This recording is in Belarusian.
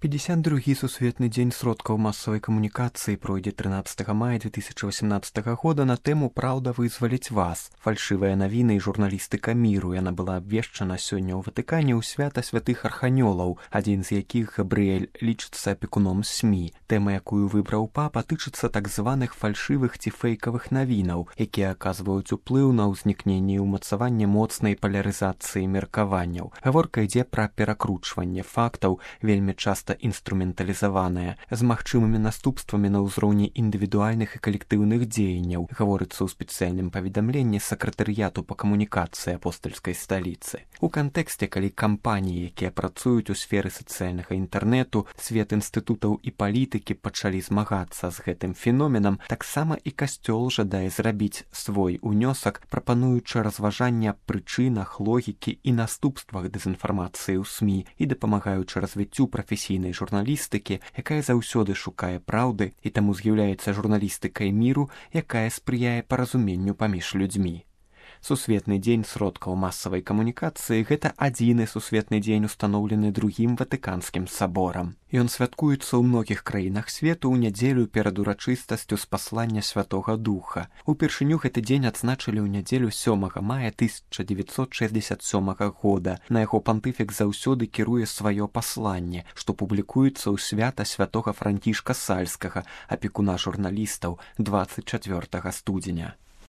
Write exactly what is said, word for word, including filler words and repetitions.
пятьдесят другі сусветны дзень сродкаў масавай камунікацыі пройдзе трынаццатага мая две тысячи восемнадцатага года на тэму «Праўда вызваліць вас». Фальшывыя навіны і журналістыка міру. Яна была абвешчана сёння ў Ватыкане ў свята святых арханёлаў, адзін з якіх, Габрыэль, лічыцца апекуном СМІ. Тэма, якую выбраў папа, тычыцца так званых фальшывых ці фэйкавых навінаў, якія аказваюць уплыў на ўзнікненне і ўмацаванне моцнай палярызацыі меркаванняў. Гаворка ідзе пра перакручванне фактаў, вельмі часта інструменталізаваная, з магчымымі наступствамі на ўзроўні індывідуальных і калектыўных дзеянняў, гаворыцца ў спецыяльным паведамленні сакратарыяту па камунікацыі апостальскай сталіцы. У кантэксце, калі кампаніі, якія працуюць у сферы сацыяльнага інтэрнэту, свет інстытутаў і палітыкі пачалі змагацца з гэтым феноменам, таксама і касцёл жадае зрабіць свой унёсак, прапануючы разважанне аб прычынах, логікі і наступствах дэзінфармацыі ў СМІ і дапамагаючы развіццю прафесійнай журналістыкі, якая заўсёды шукае праўды і таму з'яўляецца журналістыкай міру, якая спрыяе паразуменню паміж людзьмі. Сусветны дзень сродкаў масавай камунікацыі – гэта адзіны сусветны дзень, устаноўлены другім Ватыканскім саборам. Ён святкуецца ў многіх краінах свету ў нядзелю перад урачыстасцю спаслання Святога Духа. Упершыню гэты дзень адзначылі ў нядзелю сёмага мая тысяча дзевяцьсот шэсцьдзесят сёмага года. На яго пантыфік заўсёды кіруе сваё пасланне, што публікуецца ў свята святога Францішка Сальскага, апекуна журналістаў, дваццаць чацвёртага студзеня.